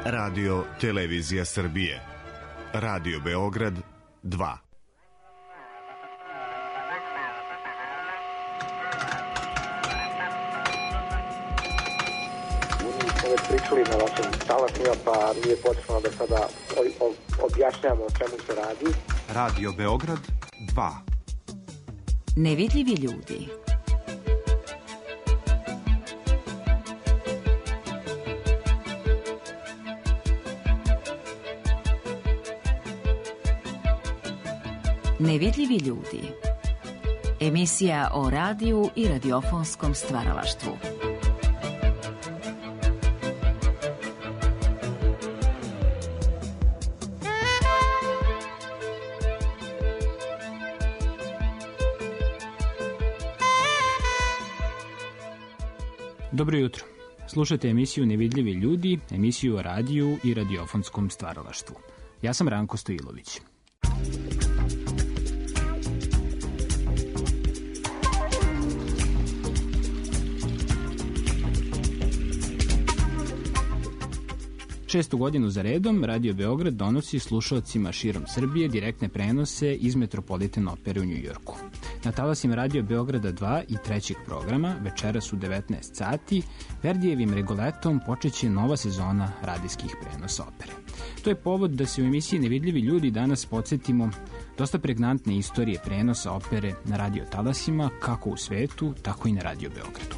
Radio Televizija Srbije. Radio Beograd 2. Pričali na vašim talasima, pa nije potrebno da sada objašnjamo o čemu se radi. Radio Beograd 2. Nevidljivi ljudi. Nevidljivi ljudi. Emisija o radiju i radiofonskom stvaralaštvu. Dobro jutro. Slušajte emisiju Nevidljivi ljudi, emisiju o radiju i radiofonskom stvaralaštvu. Ja sam Ranko Stojilović. Šestu godinu za redom Radio Beograd donosi slušaocima širom Srbije direktne prenose iz Metropolitan opere u Njujorku. Na talasima Radio Beograda 2 i trećeg programa, večeras u 19 sati, Verdijevim Rigoletom počeće nova sezona radijskih prenosa opere. To je povod da se u emisiji Nevidljivi ljudi danas podsjetimo dosta pregnantne istorije prenosa opere na radio talasima, kako u svetu, tako i na Radio Beogradu.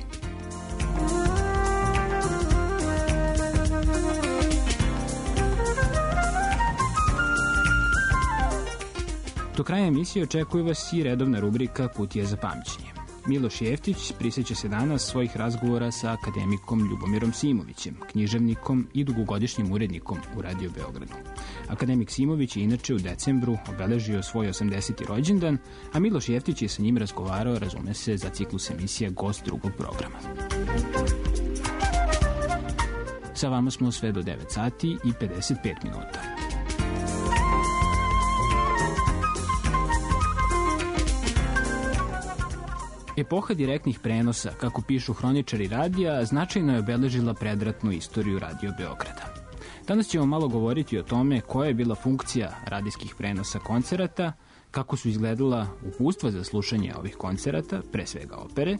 Do kraja emisije očekuje vas i redovna rubrika Kutija za pamćenje. Miloš Jeftić prisjeća se danas svojih razgovora sa akademikom Ljubomirom Simovićem, književnikom i dugogodišnjim urednikom u Radio Beogradu. Akademik Simović je inače u decembru obeležio svoj 80. rođendan, a Miloš Jeftić je sa njim razgovarao, razume se, za ciklus emisija Gost drugog programa. Sa vama smo sve do 9 sati i 55 minuta. Epoha direktnih prenosa, kako pišu hroničari radija, značajno je obeležila predratnu istoriju Radio Beograda. Danas ćemo malo govoriti o tome koja je bila funkcija radijskih prenosa koncerata, kako su izgledala uputstva za slušanje ovih koncerata, pre svega opere,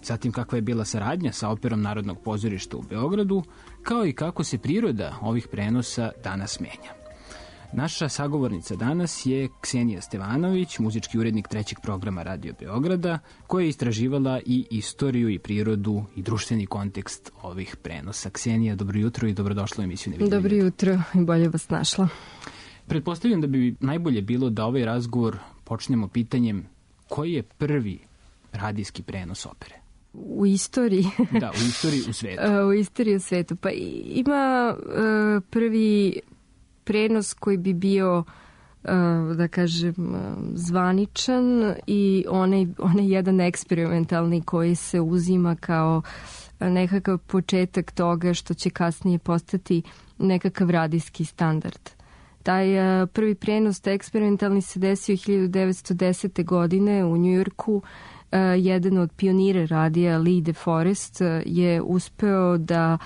zatim kakva je bila saradnja sa Operom Narodnog pozorišta u Beogradu, kao i kako se priroda ovih prenosa danas menja. Naša sagovornica danas je Ksenija Stevanović, muzički urednik trećeg programa Radio Beograda, koja je istraživala i istoriju i prirodu i društveni kontekst ovih prenosa. Ksenija, dobro jutro i dobrodošla u emisiju Nevidljivi ljudi. Dobro jutro i bolje vas našla. Pretpostavljam da bi najbolje bilo da ovaj razgovor počnemo pitanjem koji je prvi radijski prenos opere? U istoriji? Da, u istoriji u svetu. U istoriji u svetu. Pa ima prvi prenos koji bi bio, da kažem, zvaničan i onaj jedan eksperimentalni koji se uzima kao nekakav početak toga što će kasnije postati nekakav radijski standard. Taj prvi prenos, taj eksperimentalni, se desio 1910. godine u Njujorku. Jedan od pionira radija, Lee DeForest, je uspeo da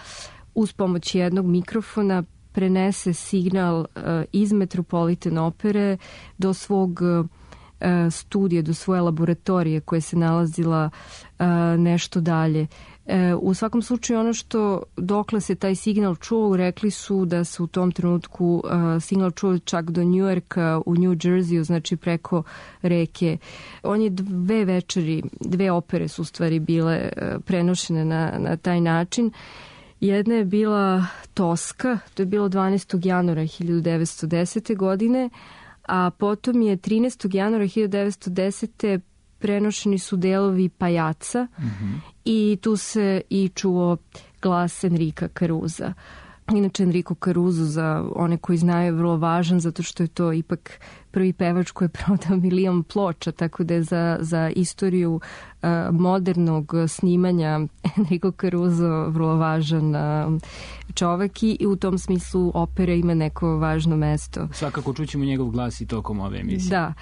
uz pomoć jednog mikrofona prenese signal iz Metropolitan opere do svog studija, do svoje laboratorije koja se nalazila nešto dalje. U svakom slučaju ono što dokle se taj signal čuo, rekli su da se u tom trenutku signal čuo čak do Njujorka u New Jerseyu, znači preko reke. On je dve opere su u stvari bile prenošene na taj način. Jedna je bila Toska, to je bilo 12. januara 1910. godine, a potom je 13. januara 1910. prenošeni su delovi Pajaca i tu se i čuo glas Enrika Caruza. Inače, Enrico Caruso, za one koji znaju, je vrlo važan zato što je to ipak prvi pevač koji je prodao 1 milion ploča, tako da je za istoriju modernog snimanja Enrico Caruso vrlo važan čovek i u tom smislu opera ima neko važno mesto. Svakako čućemo njegov glas i tokom ove emisije. Da.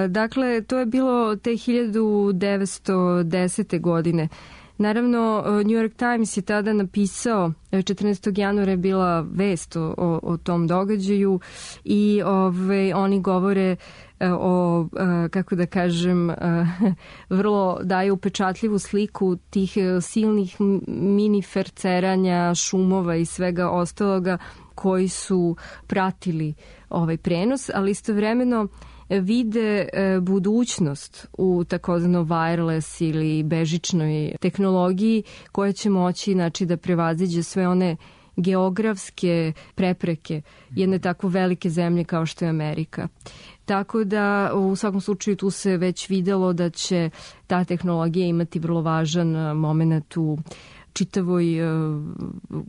Dakle, to je bilo te 1910. godine. Naravno, New York Times je tada napisao, 14. januara je bila vest o tom događaju i oni govore o, kako da kažem, vrlo daju upečatljivu sliku tih silnih mini ferceranja, šumova i svega ostaloga koji su pratili ovaj prenos, ali istovremeno vide budućnost u takozvano wireless ili bežičnoj tehnologiji koja će moći, znači, da prevaziđe sve one geografske prepreke jedne tako velike zemlje kao što je Amerika. Tako da u svakom slučaju tu se već videlo da će ta tehnologija imati vrlo važan moment u čitavoj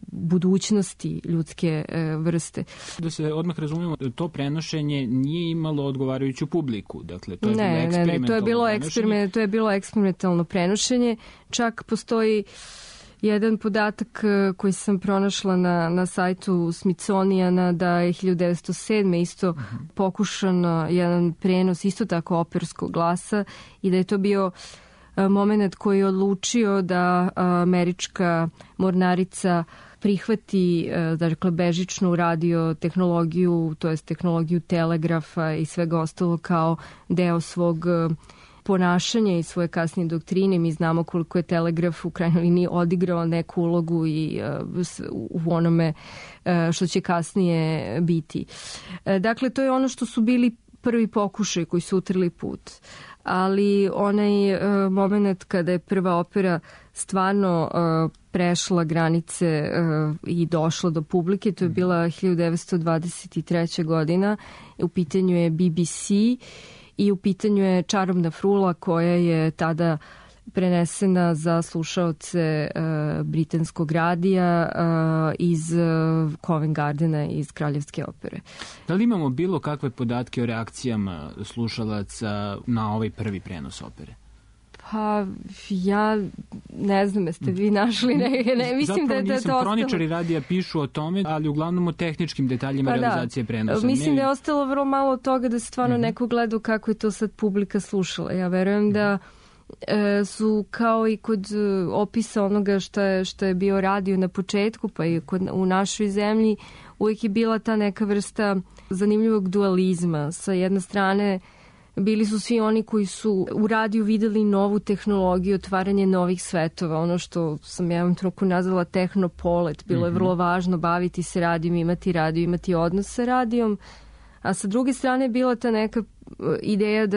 budućnosti ljudske vrste. Da se odmah razumijemo, to prenošenje nije imalo odgovarajuću publiku. Dakle, to je to je bilo eksperimentalno prenošenje. Čak postoji jedan podatak koji sam pronašla na sajtu Smithsoniana, da je 1907. isto pokušan jedan prenos isto tako operskog glasa i da je to bio moment koji je odlučio da američka mornarica prihvati, dakle, bežičnu radio tehnologiju, to jest tehnologiju telegrafa i svega ostalo kao deo svog ponašanja i svoje kasnije doktrine. Mi znamo koliko je telegraf u krajnjoj liniji odigrao neku ulogu i u onome što će kasnije biti. Dakle, to je ono što su bili prvi pokušaj koji su utrli put. Ali onaj moment kada je prva opera stvarno prešla granice i došla do publike, to je bila 1923. godina. U pitanju je BBC i u pitanju je Čarobna frula koja je tada prenesena za slušaoce britanskog radija iz Covent Gardena, iz Kraljevske opere. Da li imamo bilo kakve podatke o reakcijama slušalaca na ovaj prvi prenos opere? Pa, ja ne znam, jeste vi našli ne mislim da je to ostalo. Hroničari radija pišu o tome, ali uglavnom o tehničkim detaljima realizacije prenosa. Mislim da je ostalo vrlo malo od toga da se stvarno neko gleda kako je to sad publika slušala. Ja verujem da su kao i kod opisa onoga što je bio radio na početku, pa i u našoj zemlji uvijek je bila ta neka vrsta zanimljivog dualizma. Sa jedne strane bili su svi oni koji su u radiju videli novu tehnologiju, otvaranje novih svetova, ono što sam ja vam troku nazvala tehnopolet. Bilo je vrlo važno baviti se radijom, imati odnos sa radijom, a sa druge strane bila ta neka ideja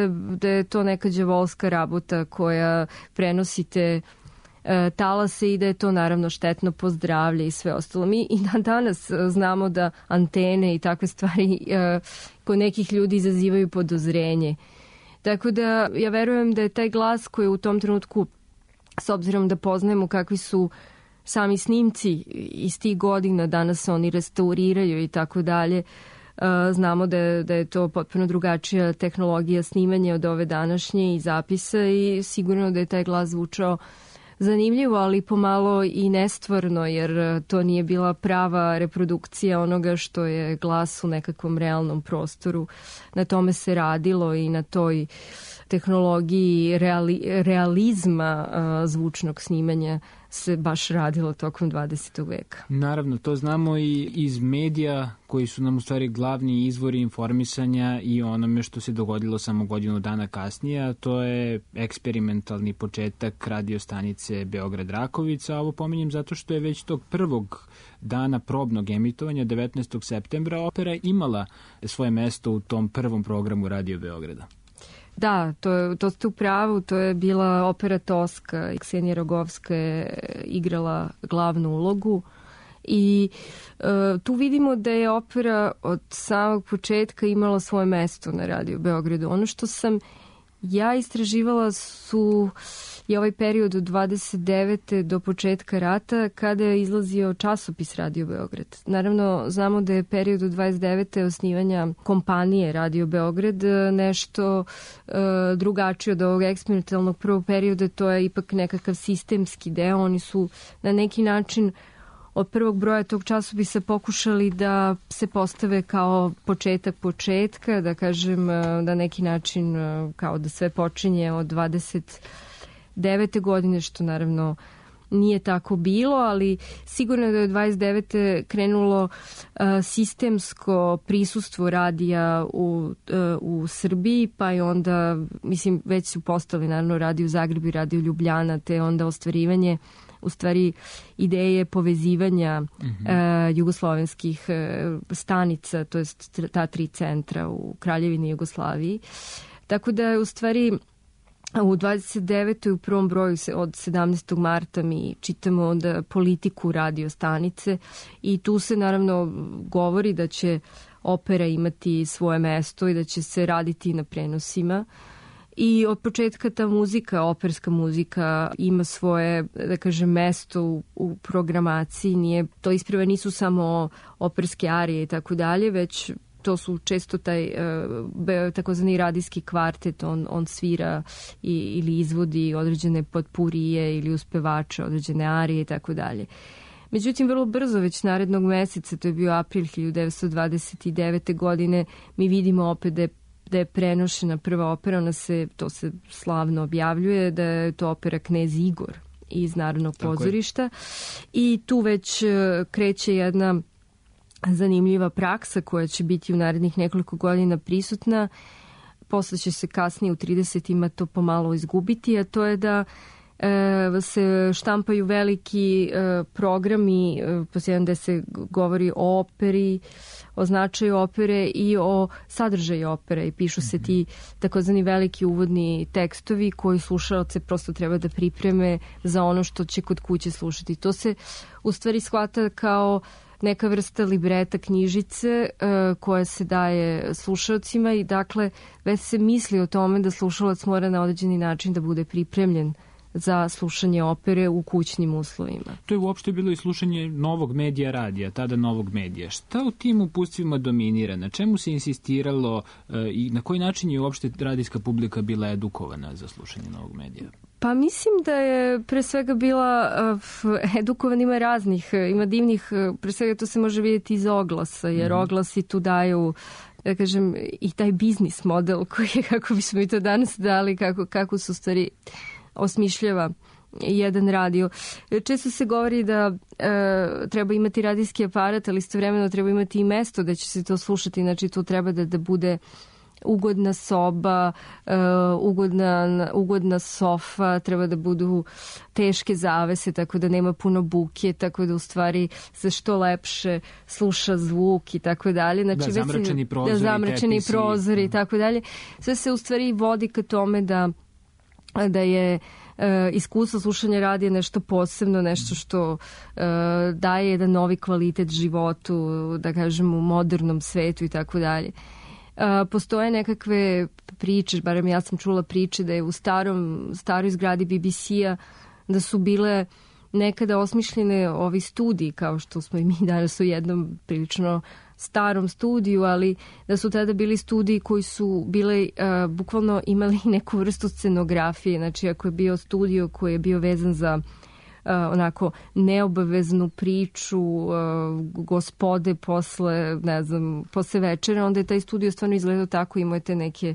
da je to neka đavolska rabota koja prenosite talase i da je to naravno štetno po zdravlje i sve ostalo. Mi i danas znamo da antene i takve stvari kod nekih ljudi izazivaju podozrenje. Tako da ja verujem da je taj glas koji u tom trenutku, s obzirom da poznajemo kakvi su sami snimci iz tih godina, danas se oni restauriraju i tako dalje, znamo da je to potpuno drugačija tehnologija snimanja od ove današnje i zapisa i sigurno da je taj glas zvučao zanimljivo, ali pomalo i nestvarno, jer to nije bila prava reprodukcija onoga što je glas u nekakvom realnom prostoru. Na tome se radilo i na toj tehnologiji realizma zvučnog snimanja se baš radilo tokom 20. veka. Naravno, to znamo i iz medija koji su nam u stvari glavni izvori informisanja i onome što se dogodilo samo godinu dana kasnije, a to je eksperimentalni početak radio stanice Beograd-Rakovica. Ovo pominjem zato što je već tog prvog dana probnog emitovanja, 19. septembra, opera imala svoje mesto u tom prvom programu Radio Beograda. Da, to ste u pravu, to je bila opera Toska. Ksenija Rogovska je igrala glavnu ulogu i tu vidimo da je opera od samog početka imala svoje mesto na Radio Beogradu. Ono što sam ja istraživala je ovaj period od 29. do početka rata kada je izlazio časopis Radio Beograd. Naravno, znamo da je period od 29. osnivanja kompanije Radio Beograd nešto drugačije od ovog eksperimentalnog prvog perioda. To je ipak nekakav sistemski deo. Oni su na neki način od prvog broja tog časopisa pokušali da se postave kao početak početka, da kažem na neki način kao da sve počinje od 29. godine, što naravno nije tako bilo, ali sigurno je da je 29. krenulo sistemsko prisustvo radija u Srbiji, pa i onda, mislim, već su postali naravno radio u Zagrebu i radio Ljubljana, te onda ostvarivanje u stvari ideje povezivanja jugoslovenskih stanica, to jest ta 3 centra u Kraljevini Jugoslaviji. Tako da je u stvari u 29. u prvom broju od 17. marta mi čitamo onda politiku radio stanice i tu se naravno govori da će opera imati svoje mesto i da će se raditi na prenosima. I od početka ta muzika, operska muzika, ima svoje, da kažem, mesto u programaciji. To isprava nisu samo operske arije i tako dalje, već to su često taj takozvani radijski kvartet, on svira ili izvodi određene potpurije ili uspevače, određene arije i tako dalje. Međutim, vrlo brzo, već narednog meseca, to je bio april 1929. godine, mi vidimo opet da je prenošena prva opera, to se slavno objavljuje, da je to opera Knez Igor iz Narodnog pozorišta. I tu već kreće jedna zanimljiva praksa koja će biti u narednih nekoliko godina prisutna. Posle će se kasnije u 30-ima to pomalo izgubiti, a to je da se štampaju veliki programi, posebno da se govori o operi, o značaju opere i o sadržaju opere i pišu se ti takozvani veliki uvodni tekstovi koji slušaoce prosto treba da pripreme za ono što će kod kuće slušati. To se u stvari shvata kao neka vrsta libreta, knjižice koja se daje slušalcima i dakle već se misli o tome da slušalac mora na određeni način da bude pripremljen za slušanje opere u kućnim uslovima. To je uopšte bilo i slušanje novog medija radija, tada novog medija. Šta u tim uputstvima dominira? Na čemu se insistiralo i na koji način je uopšte radijska publika bila edukovana za slušanje novog medija? Pa mislim da je pre svega bila edukovan, ima raznih, ima divnih, pre svega to se može vidjeti iz oglasa, jer oglasi tu daju, da kažem, i taj biznis model koji je, kako bismo mi to danas dali, kako su stvari osmišljava jedan radio. Često se govori da treba imati radijski aparat, ali istovremeno treba imati i mesto da će se to slušati, znači to treba da bude ugodna soba, ugodna sofa, treba da budu teške zavese, tako da nema puno buke, tako da u stvari se što lepše sluša zvuk i tako dalje. Znači, zamračeni prozori i tako dalje. Sve se u stvari vodi ka tome da je iskustvo slušanja radija nešto posebno, nešto što daje jedan novi kvalitet životu, da kažem, u modernom svetu i tako dalje. Postoje nekakve priče, barem ja sam čula priče da je u staroj zgradi BBC-a da su bile nekada osmišljene ovi studiji, kao što smo i mi danas u jednom prilično starom studiju, ali da su tada bili studiji koji su bile, bukvalno imali neku vrstu scenografije. Znači, ako je bio studio koji je bio vezan za onako neobaveznu priču gospode posle večera, onda je taj studio stvarno izgledao tako, imate neke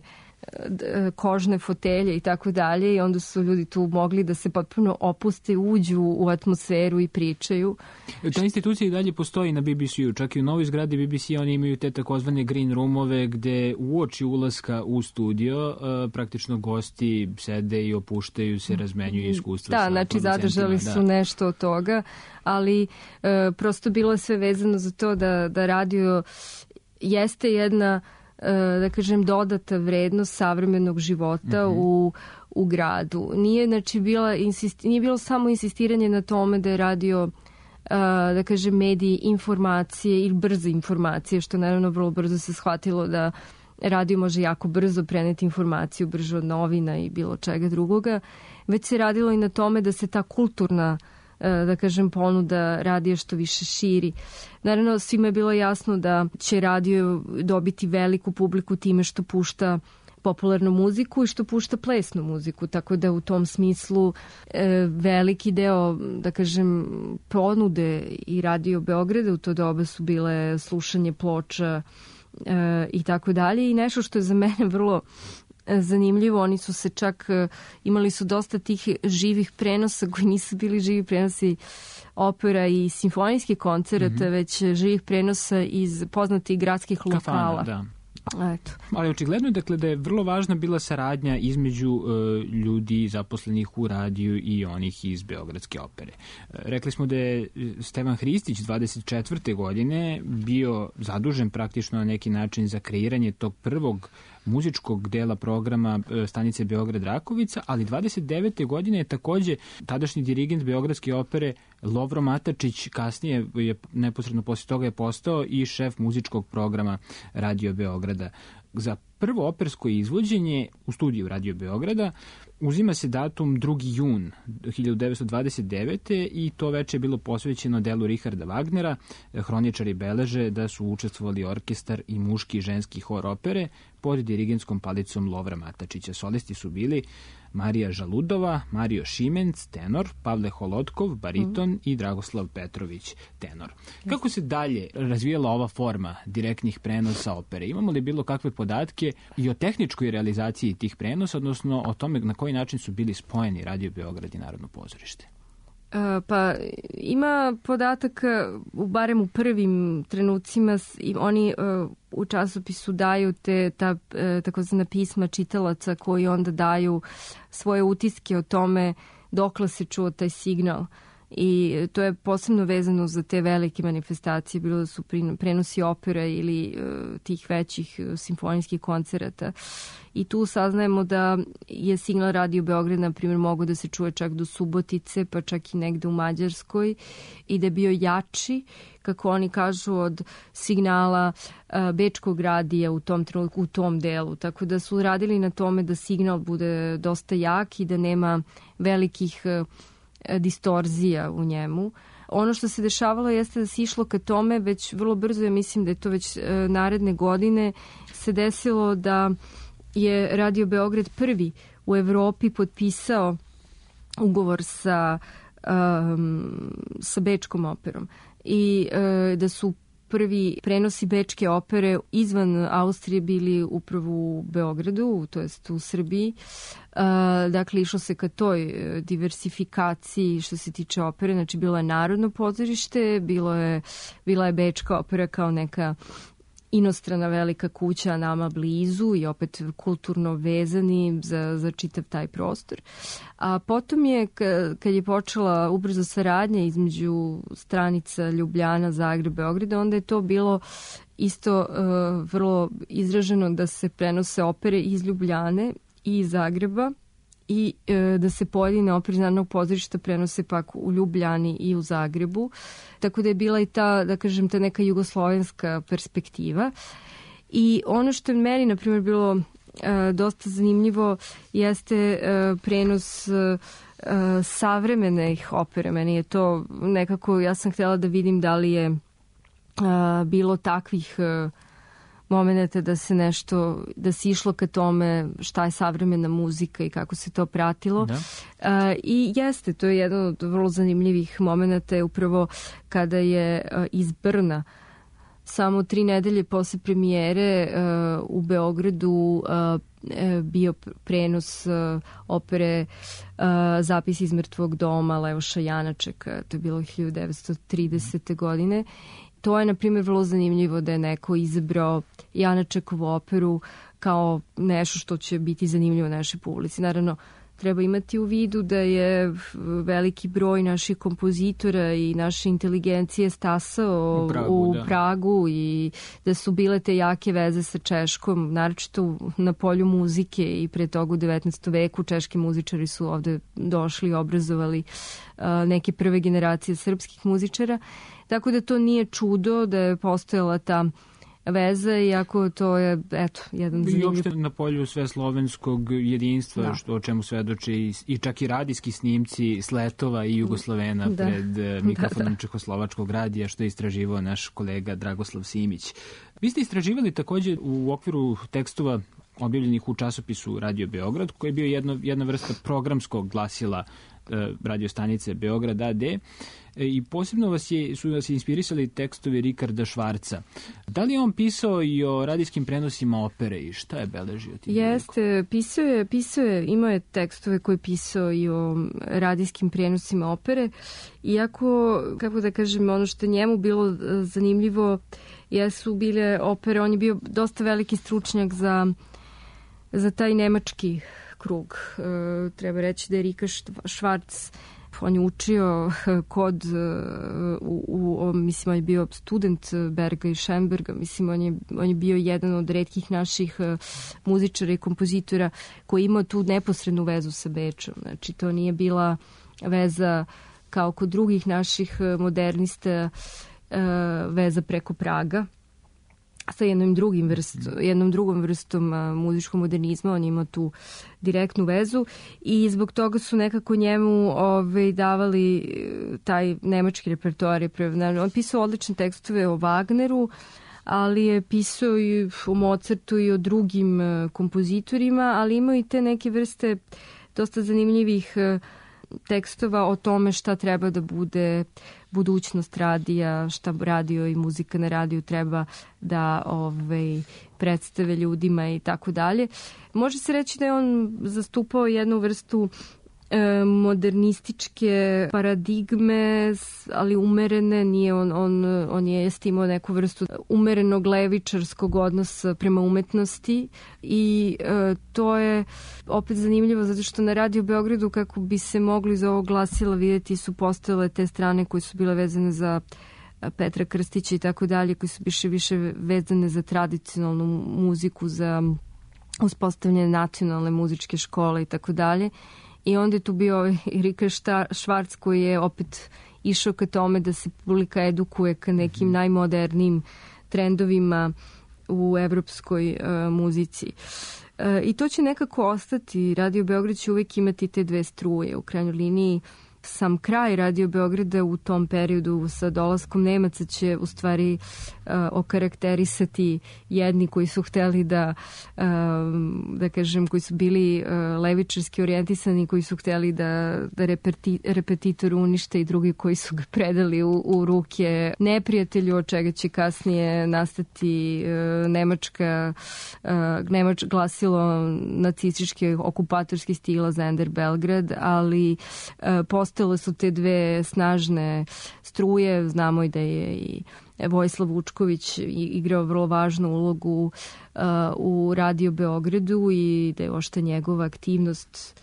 kožne fotelje i tako dalje i onda su ljudi tu mogli da se potpuno opuste, uđu u atmosferu i pričaju. Ta institucija i dalje postoji na BBC-u, čak i u novoj zgradi BBC oni imaju te takozvane green roomove gde uoči ulaska u studio praktično gosti sede i opuštaju se, razmenjuju iskustva. Da, znači zadržali su nešto od toga, ali prosto bilo je sve vezano za to da radio jeste jedna, da kažem, dodata vrednost savremenog života u gradu. Nije, znači, nije bilo samo insistiranje na tome da je radio, da kažem, mediji informacije ili brze informacije, što naravno vrlo brzo se shvatilo da radio može jako brzo preneti informaciju, brže od novina i bilo čega drugoga, već se radilo i na tome da se ta kulturna, da kažem, ponuda radija što više širi. Naravno, svima je bilo jasno da će radio dobiti veliku publiku time što pušta popularnu muziku i što pušta plesnu muziku, tako da u tom smislu veliki deo, da kažem, ponude i Radio Beograda u to doba su bile slušanje ploča i tako dalje. I nešto što je za mene vrlo zanimljivo. Oni su se čak, imali su dosta tih živih prenosa koji nisu bili živi prenosi opera i simfonijskih koncerata, već živih prenosa iz poznatih gradskih lokala. Da. Eto. Ali očigledno je dakle da je vrlo važna bila saradnja između ljudi zaposlenih u radiju i onih iz Beogradske opere. Rekli smo da je Stevan Hristić 24. godine bio zadužen praktično na neki način za kreiranje tog prvog muzičkog dela programa stanice Beograd-Rakovica, ali 29. godine je takođe tadašnji dirigent Beogradske opere Lovro Matačić, kasnije je neposredno posle toga je postao i šef muzičkog programa Radio Beograda. Za prvo opersko izvođenje u studiju Radio Beograda uzima se datum 2. jun 1929. i to veče je bilo posvećeno delu Richarda Wagnera. Hroničari beleže da su učestvovali orkestar i muški i ženski hor opere pod dirigentskom palicom Lovra Matačića. Solisti su bili Marija Žaludova, Mario Šimenc, tenor, Pavle Holotkov, bariton i Dragoslav Petrović, tenor. Kako se dalje razvijala ova forma direktnih prenosa opere? Imamo li bilo kakve podatke i o tehničkoj realizaciji tih prenosa, odnosno o tome na koji način su bili spojeni Radio Beograd i Narodno pozorište? Pa ima podataka, barem u prvim trenucima, oni u časopisu daju ta takozvana pisma čitalaca koji onda daju svoje utiske o tome dokle se čuo taj signal. I to je posebno vezano za te velike manifestacije, bilo da su prenosi opera ili tih većih simfonijskih koncerata. I tu saznajemo da je signal Radio Beograd, na primjer, mogao da se čuje čak do Subotice, pa čak i negde u Mađarskoj, i da je bio jači, kako oni kažu, od signala Bečkog radija u tom trenutku, u tom delu. Tako da su radili na tome da signal bude dosta jak i da nema velikih distorzija u njemu. Ono što se dešavalo jeste da se išlo ka tome već vrlo brzo, ja mislim da je to već naredne godine, se desilo da je Radio Beograd prvi u Evropi potpisao ugovor sa Bečkom operom i da su prvi prenosi Bečke opere izvan Austrije bili upravo u Beogradu, to jest u Srbiji. Dakle, išlo se ka toj diversifikaciji što se tiče opere. Znači, bilo je Narodno pozorište, bila je Bečka opera kao neka inostrana velika kuća nama blizu i opet kulturno vezani za čitav taj prostor. A potom je, kad je počela ubrzo saradnja između stranica Ljubljana, Zagreb, Beograda, onda je to bilo isto vrlo izraženo da se prenose opere iz Ljubljane i iz Zagreba i da se pojedine opere iz Narodnog pozorišta prenose pak u Ljubljani i u Zagrebu. Tako da je bila i ta, da kažem, ta neka jugoslovenska perspektiva. I ono što je meni, na primjer, bilo dosta zanimljivo jeste prenos savremenih opere. Meni je to nekako, ja sam htjela da vidim da li je bilo takvih momenata da se nešto, da se išlo ka tome šta je savremena muzika i kako se to pratilo. Da. I jeste, to je jedan od vrlo zanimljivih momenata je upravo kada je iz Brna samo 3 nedelje posle premijere u Beogradu bio prenos opere Zapis iz mrtvog doma Leoša Janačeka. To je bilo 1930. godine. To je, na primjer, vrlo zanimljivo da je neko izabrao Janačekovu operu kao nešto što će biti zanimljivo našoj publici. Naravno, treba imati u vidu da je veliki broj naših kompozitora i naše inteligencije stasao u Pragu i da su bile te jake veze sa Češkom, naročito na polju muzike i pre toga u 19. veku češki muzičari su ovde došli i obrazovali neke prve generacije srpskih muzičara. Tako da to nije čudo da je postojala ta veza, iako to je, eto, jedan zanimljiv... I uopšte na polju sveslovenskog jedinstva, da. Što o čemu svedoče i čak i radijski snimci sletova i Jugoslovena pred mikrofonom Čehoslovačkog radija, što je istraživao naš kolega Dragoslav Simić. Vi ste istraživali takođe u okviru tekstova objavljenih u časopisu Radio Beograd, koji je bio jedna vrsta programskog glasila radio stanice Beograd AD. I posebno su vas inspirisali tekstovi Rikarda Švarca. Da li je on pisao i o radijskim prenosima opere i šta je beležio? Jeste, pisao je, imao je tekstove koje je pisao i o radijskim prenosima opere, iako, kako da kažem, ono što je njemu bilo zanimljivo jesu bile opere, on je bio dosta veliki stručnjak za taj nemački krug. Treba reći da je Rika Švarc, on je učio kod, mislim, on je bio student Berga i Schönberga, mislim, on je bio jedan od retkih naših muzičara i kompozitora koji imao tu neposrednu vezu sa Bečom. Znači, to nije bila veza kao kod drugih naših modernista, veza preko Praga, sa jednom drugom vrstom muzičkog modernizma. On ima tu direktnu vezu i zbog toga su nekako njemu davali taj nemački repertoar. On pisao odlične tekstove o Wagneru, ali je pisao i o Mozartu i o drugim kompozitorima, ali imao i te neke vrste dosta zanimljivih tekstova o tome šta treba da bude budućnost radija, šta radio i muzika na radiju treba da predstave ljudima i tako dalje. Može se reći da je on zastupao jednu vrstu modernističke paradigme, ali umerene, nije on je imao neku vrstu umerenog levičarskog odnosa prema umetnosti i to je opet zanimljivo zato što na Radio Beogradu, kako bi se mogli iz ovog glasila vidjeti, su postojale te strane koje su bile vezane za Petra Krstića i tako dalje, koji su više vezane za tradicionalnu muziku, za uspostavljanje nacionalne muzičke škole i tako dalje. I onda je tu bio Rika Švarc koji je opet išao ka tome da se publika edukuje ka nekim najmodernijim trendovima u evropskoj muzici. I to će nekako ostati. Radio Beograd će uvijek imati te dve struje. U krajnjoj liniji sam kraj Radio Beograda u tom periodu sa dolaskom Nemaca će u stvari okarakterisati jedni koji su hteli da kažem, koji su bili levičarski orijentisani, koji su hteli da repetitor unište i drugi koji su ga predali u ruke neprijatelju, od čega će kasnije nastati glasilo nacističke okupatorski stila Zender Belgrad, ali postojale su te dve snažne struje. Znamo i da je i Vojislav Vučković igrao vrlo važnu ulogu u Radio Beogradu i da je ošta njegova aktivnost.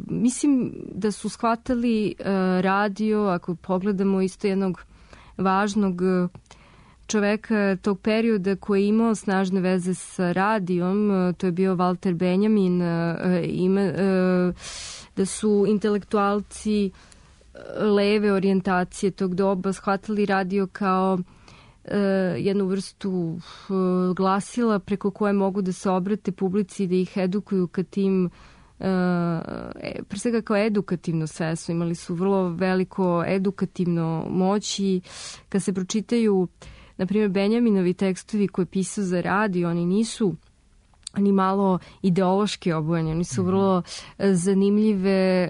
Mislim da su shvatali radio, ako pogledamo isto jednog važnog čoveka tog perioda koji je imao snažne veze sa radijom, to je bio Walter Benjamin, da su intelektualci leve orijentacije tog doba shvatili radio kao jednu vrstu glasila preko koje mogu da se obrate publici i da ih edukuju ka tim, pre svega kao edukativno sredstvo. Imali su vrlo veliko edukativno moć i kad se pročitaju, na primjer, Benjaminovi tekstovi koje je pisao za radio, oni nisu ni malo ideološki obojeni, oni su vrlo zanimljive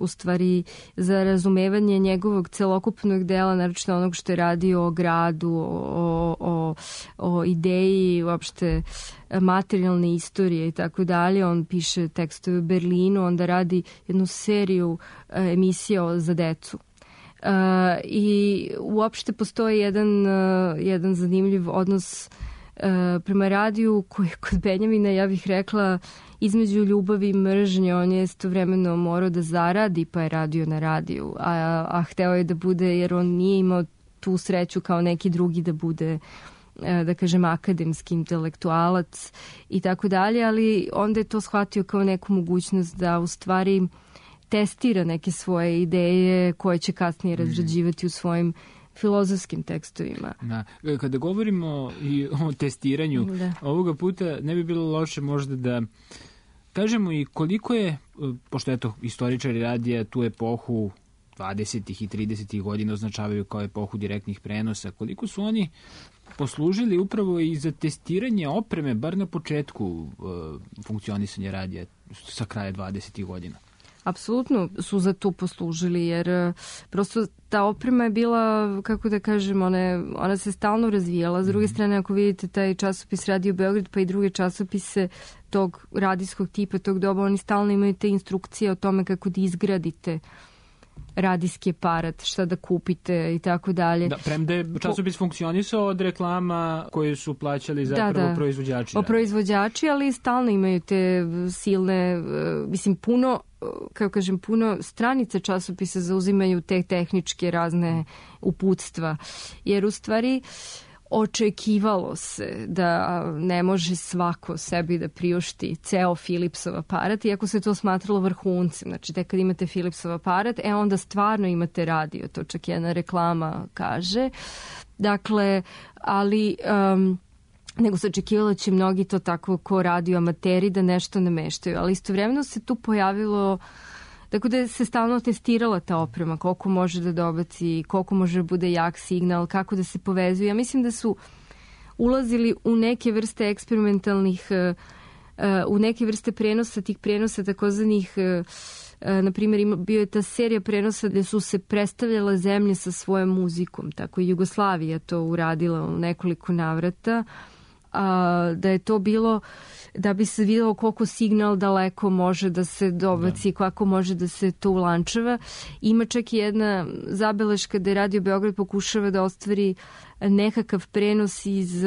u stvari za razumevanje njegovog celokupnog dela, naročito onog što je radio o gradu, o ideji, uopšte materijalne istorije i tako dalje. On piše tekstove u Berlinu, onda radi jednu seriju emisija za decu. I uopšte postoji jedan zanimljiv odnos prema radiju koji kod Benjamina, ja bih rekla, između ljubavi i mržnje. On je istovremeno morao da zaradi, pa je radio na radiju, a hteo je da bude, jer on nije imao tu sreću kao neki drugi da bude, da kažem, akademski intelektualac i tako dalje, ali onda je to shvatio kao neku mogućnost da u stvari testira neke svoje ideje koje će kasnije razrađivati u svojim filozofskim tekstovima. Da. Kada govorimo i o testiranju, ovoga puta ne bi bilo loše možda da kažemo i koliko je, pošto eto istoričari radija tu epohu 20. i 30. godina označavaju kao epohu direktnih prenosa, koliko su oni poslužili upravo i za testiranje opreme, bar na početku funkcionisanja radija sa kraja 20. godina? Apsolutno su za to poslužili, jer prosto ta oprema je bila, kako da kažem, ona se stalno razvijala. S druge strane, ako vidite taj časopis Radio Beograd, pa i druge časopise tog radijskog tipa, tog doba, oni stalno imaju te instrukcije o tome kako da izgradite radijski aparat, šta da kupite i tako dalje. Da, premda je časopis funkcionisao od reklama koje su plaćali zapravo proizvođači. Proizvođači, ali stalno imaju te silne, mislim, puno stranica časopisa zauzimaju te tehničke razne uputstva. Jer u stvari očekivalo se da ne može svako sebi da priušti ceo Philipsov aparat, iako se to smatralo vrhuncem. Znači, tek kad imate Philipsov aparat, onda stvarno imate radio. To čak jedna reklama kaže. Dakle, ali nego se očekivalo će mnogi to tako ko radio amateri da nešto nameštaju. Ali istovremeno se tu pojavilo, tako da se stalno testirala ta oprema, koliko može da dobaci, koliko može da bude jak signal, kako da se povezuje. Ja mislim da su ulazili u neke vrste eksperimentalnih, u neke vrste prenosa, tih prenosa takozvanih, na primjer, bio je ta serija prenosa gde su se predstavljala zemlje sa svojom muzikom. Tako i Jugoslavija to uradila u nekoliko navrata. Da je to bilo da bi se videlo koliko signal daleko može da se dobaci, kako može da se to ulančava. Ima čak i jedna zabeleška da je Radio Beograd pokušava da ostvari nekakav prenos iz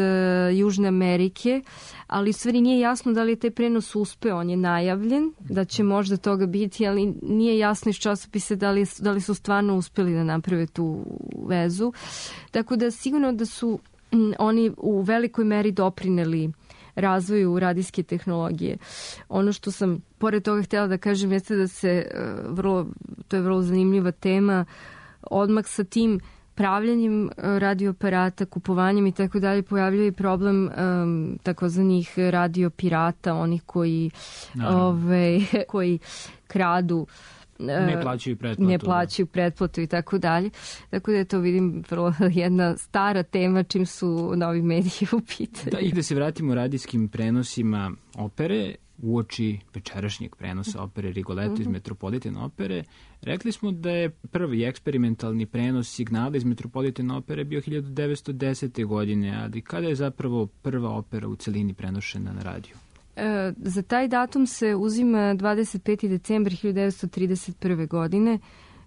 Južne Amerike, ali u stvari nije jasno da li je taj prenos uspeo. On je najavljen, da će možda toga biti, ali nije jasno iz časopisa da li su stvarno uspeli da naprave tu vezu. Tako da sigurno da su oni u velikoj meri doprineli razvoju radijske tehnologije. Ono što sam pored toga htjela da kažem jeste da se to je vrlo zanimljiva tema, odmah sa tim pravljanjem radioaparata, kupovanjem i tako dalje pojavljuje problem takozvanih radiopirata, onih koji koji kradu, ne plaćaju pretplatu i tako dalje. Tako da je to, vidim, vrlo jedna stara tema čim su novi mediji u pitanju. Da, i da se vratimo radijskim prenosima opere, uoči večerašnjeg prenosa opere Rigoletto iz Metropolitan opere, rekli smo da je prvi eksperimentalni prenos signala iz Metropolitan opere bio 1910. godine, ali kada je zapravo prva opera u celini prenošena na radiju? Za taj datum se uzima 25. decembar 1931. godine.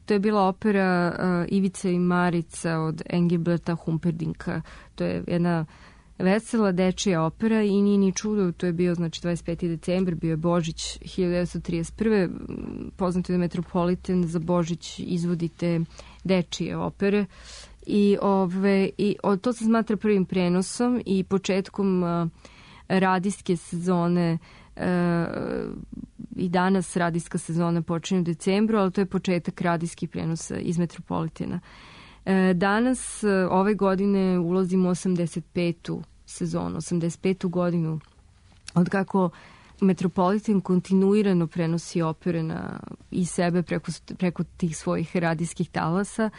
To je bila opera Ivica i Marica od Engelberta Humperdinka. To je jedna vesela dečija opera i nije ni čudo, to je bio, znači, 25. decembar, bio je Božić 1931. Poznato je da Metropolitan za Božić izvodite dečije opere i to se smatra prvim prenosom i početkom radijske sezone. I danas radijska sezona počinje u decembru, ali to je početak radijskih prenosa iz Metropolitana. Danas, ove godine, ulazimo u 85. sezonu, 85. godinu od kako Metropolitan kontinuirano prenosi opere i sebe preko tih svojih radijskih talasa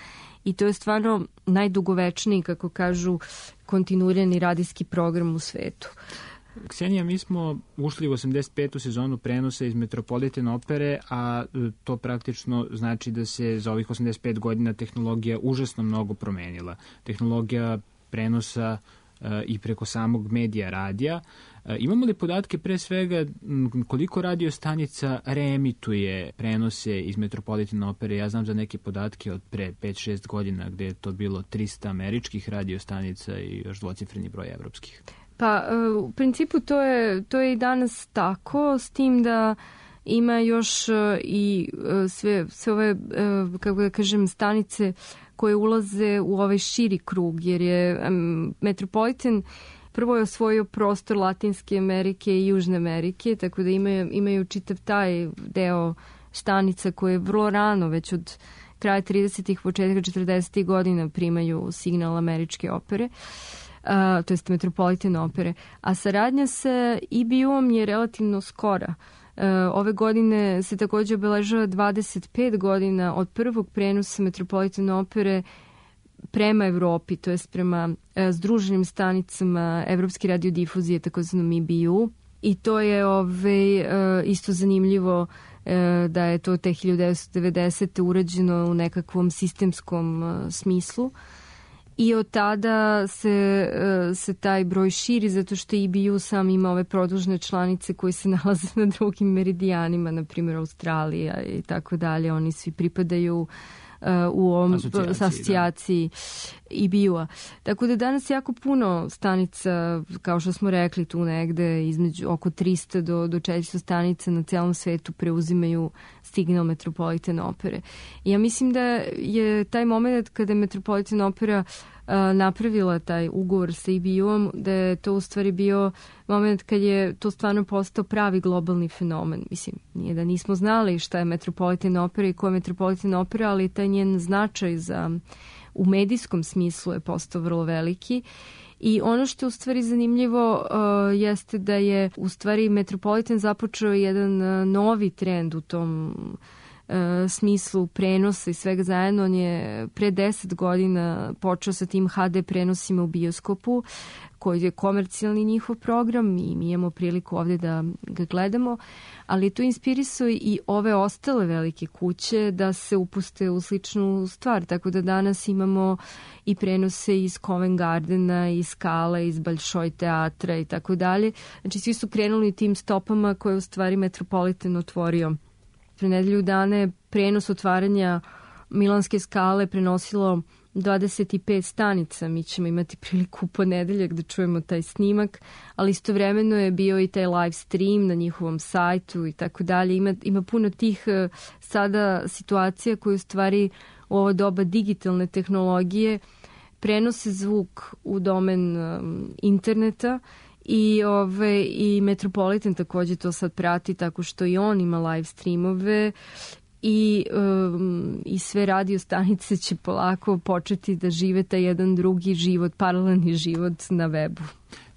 i to je stvarno najdugovečniji, kako kažu, kontinuirani radijski program u svetu. Ksenija, mi smo ušli u 85. sezonu prenosa iz Metropolitan opere, a to praktično znači da se za ovih 85 godina tehnologija užasno mnogo promenila. Tehnologija prenosa i preko samog medija radija. Imamo li podatke pre svega koliko radio stanica reemituje prenose iz Metropolitan opere? Ja znam za neke podatke od pre 5-6 godina gde je to bilo 300 američkih radio stanica i još dvocifreni broj evropskih. Pa, u principu to je i danas tako, s tim da ima još i sve ove, kako da kažem, stanice koje ulaze u ovaj širi krug, jer je Metropolitan prvo je osvojio prostor Latinske Amerike i Južne Amerike, tako da imaju čitav taj deo stanica koje vrlo rano, već od kraja 30-ih, početka 40-ih godina primaju signal američke opere. To jest Metropolitan opere, a saradnja sa EBU-om je relativno skora. Ove godine se također obeležava 25 godina od prvog prenosa Metropolitan opere prema Evropi, to jest prema združenim stanicama Evropske radiodifuzije, takozvanom EBU. I to je isto zanimljivo da je to te 1990. urađeno u nekakvom sistemskom smislu. I od tada se taj broj širi zato što EBU sam ima ove produžne članice koje se nalaze na drugim meridijanima, na primjer Australija i tako dalje. Oni svi pripadaju u ovom asocijaciji EBU-a. Tako da danas jako puno stanica, kao što smo rekli, tu negde između oko 300 do 400 stanica na celom svetu preuzimaju signal Metropolitan opere. I ja mislim da je taj moment kada je Metropolitan opera napravila taj ugovor sa EBU-om, da je to u stvari bio moment kad je to stvarno postao pravi globalni fenomen. Mislim, nije da nismo znali šta je Metropolitan opera i ko je Metropolitan opera, ali taj njen značaj u medijskom smislu je postao vrlo veliki. I ono što je u stvari zanimljivo jeste da je u stvari Metropolitan započeo jedan novi trend u tom smislu prenosa i svega zajedno. On je pre 10 godina počeo sa tim HD prenosima u bioskopu, koji je komercijalni njihov program i mi imamo priliku ovde da ga gledamo, ali to inspirisao i ove ostale velike kuće da se upuste u sličnu stvar, tako da danas imamo i prenose iz Covent Gardena, iz Skala, iz Bolšoj teatra i tako dalje. Znači svi su krenuli tim stopama koje u stvari Metropolitan otvorio. Pre nedelju dana je prenos otvaranja Milanske Skale prenosilo 25 stanica. Mi ćemo imati priliku u ponedeljak da čujemo taj snimak, ali istovremeno je bio i taj live stream na njihovom sajtu i tako dalje. Ima puno tih sada situacija koje u stvari u ovo doba digitalne tehnologije prenose zvuk u domen interneta. I Metropolitan takođe to sad prati tako što i on ima live streamove i sve radio stanice će polako početi da žive taj jedan drugi život, paralelni život na webu.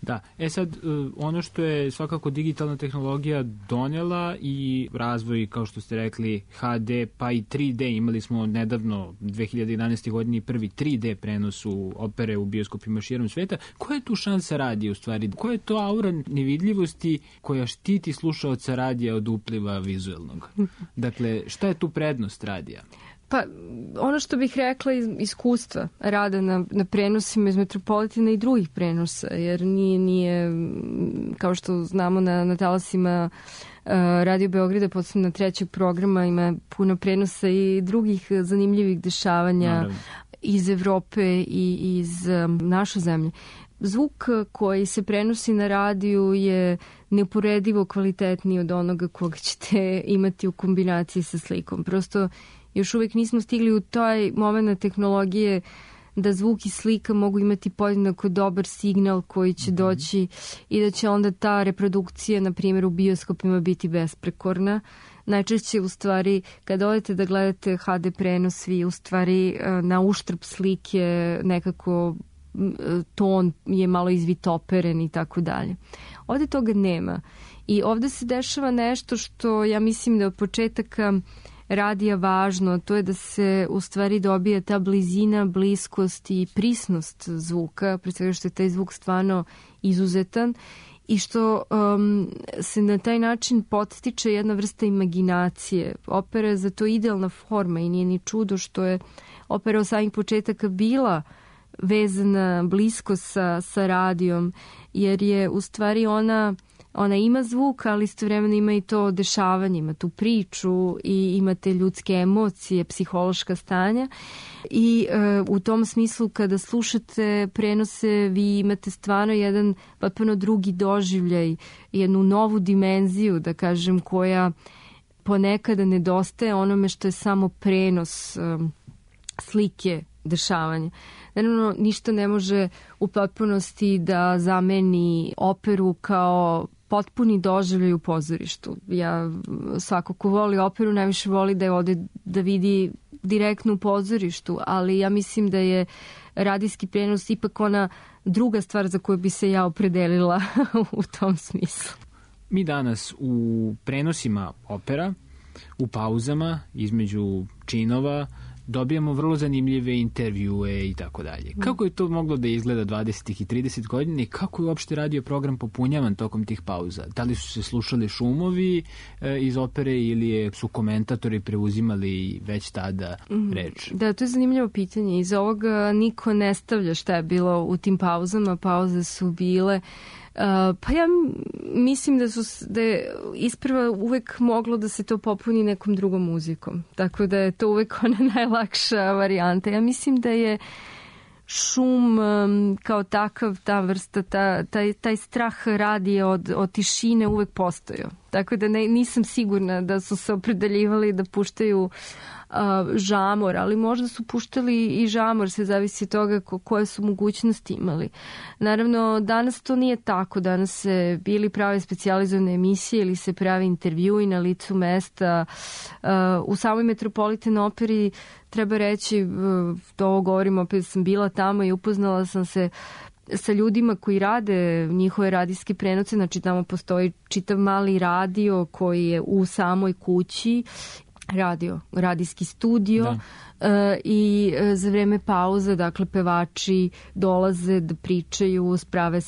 Da, sad ono što je svakako digitalna tehnologija donela i razvoj, kao što ste rekli, HD pa i 3D, imali smo nedavno 2011. godini prvi 3D prenos u opere u bioskopima širom sveta. Koja je tu šansa radija u stvari? Koja je to aura nevidljivosti koja štiti slušaoca radija od upliva vizuelnog? Dakle, šta je tu prednost radija? Pa, ono što bih rekla iz iskustva rada na prenosima iz Metropolitana i drugih prenosa, jer nije kao što znamo na talasima Radio Beograda, posebno na trećeg programa, ima puno prenosa i drugih zanimljivih dešavanja. Naravno. Iz Evrope i iz naše zemlje. Zvuk koji se prenosi na radiju je neuporedivo kvalitetniji od onoga koga ćete imati u kombinaciji sa slikom. Prosto još uvijek nismo stigli u taj moment tehnologije da zvuk i slika mogu imati podjednako dobar signal koji će doći i da će onda ta reprodukcija, na primjer u bioskopima, biti besprekorna. Najčešće u stvari kada odete da gledate HD prenos, vi u stvari na uštrb slike nekako ton je malo izvitoperen i tako dalje. Ovde toga nema. I ovde se dešava nešto što ja mislim da od početaka radija važno, to je da se u stvari dobija ta blizina, bliskost i prisnost zvuka, pre svega što je taj zvuk stvarno izuzetan i što se na taj način podstiče jedna vrsta imaginacije. Opera je za to idealna forma i nije ni čudo što je opera od samih početaka bila vezana blisko sa radijom, jer je u stvari ona ima zvuk, ali istovremeno ima i to dešavanje, ima tu priču i imate ljudske emocije, psihološka stanja i u tom smislu kada slušate prenose vi imate stvarno jedan potpuno drugi doživljaj, jednu novu dimenziju, da kažem, koja ponekada nedostaje onome što je samo prenos slike, dešavanja. Naravno, ništa ne može u potpunosti da zameni operu kao potpuni doživljaj u pozorištu. Ja, svako ko voli operu najviše voli da je ode da vidi direktno u pozorištu, ali ja mislim da je radijski prenos ipak ona druga stvar za koju bi se ja opredelila u tom smislu. Mi danas u prenosima opera, u pauzama između činova, dobijamo vrlo zanimljive intervjue i tako dalje. Kako je to moglo da izgleda 20. i 30 godina i kako je uopšte radio program popunjavan tokom tih pauza? Da li su se slušali šumovi iz opere ili su komentatori preuzimali već tada reč? Da, to je zanimljivo pitanje. Iz ovoga niko ne stavlja šta je bilo u tim pauzama. Pauze su bile pa ja mislim da je isprva uvek moglo da se to popuni nekom drugom muzikom. Tako da je to uvek ona najlakša varijanta. Ja mislim da je šum kao takav, ta vrsta, taj strah radija od tišine uvek postojao. Tako da nisam sigurna da su se opredeljivali da puštaju žamor, ali možda su puštali i žamor, sve zavisi od toga koje su mogućnosti imali. Naravno, danas to nije tako. Danas se bili prave specijalizovane emisije ili se pravi intervjui na licu mesta. U samoj Metropolitan operi treba reći, to ovo govorim, opet sam bila tamo i upoznala sam se sa ljudima koji rade njihove radijske prenose, znači tamo postoji čitav mali radio koji je u samoj kući, radijski studio i za vreme pauze, dakle, pevači dolaze da pričaju, prave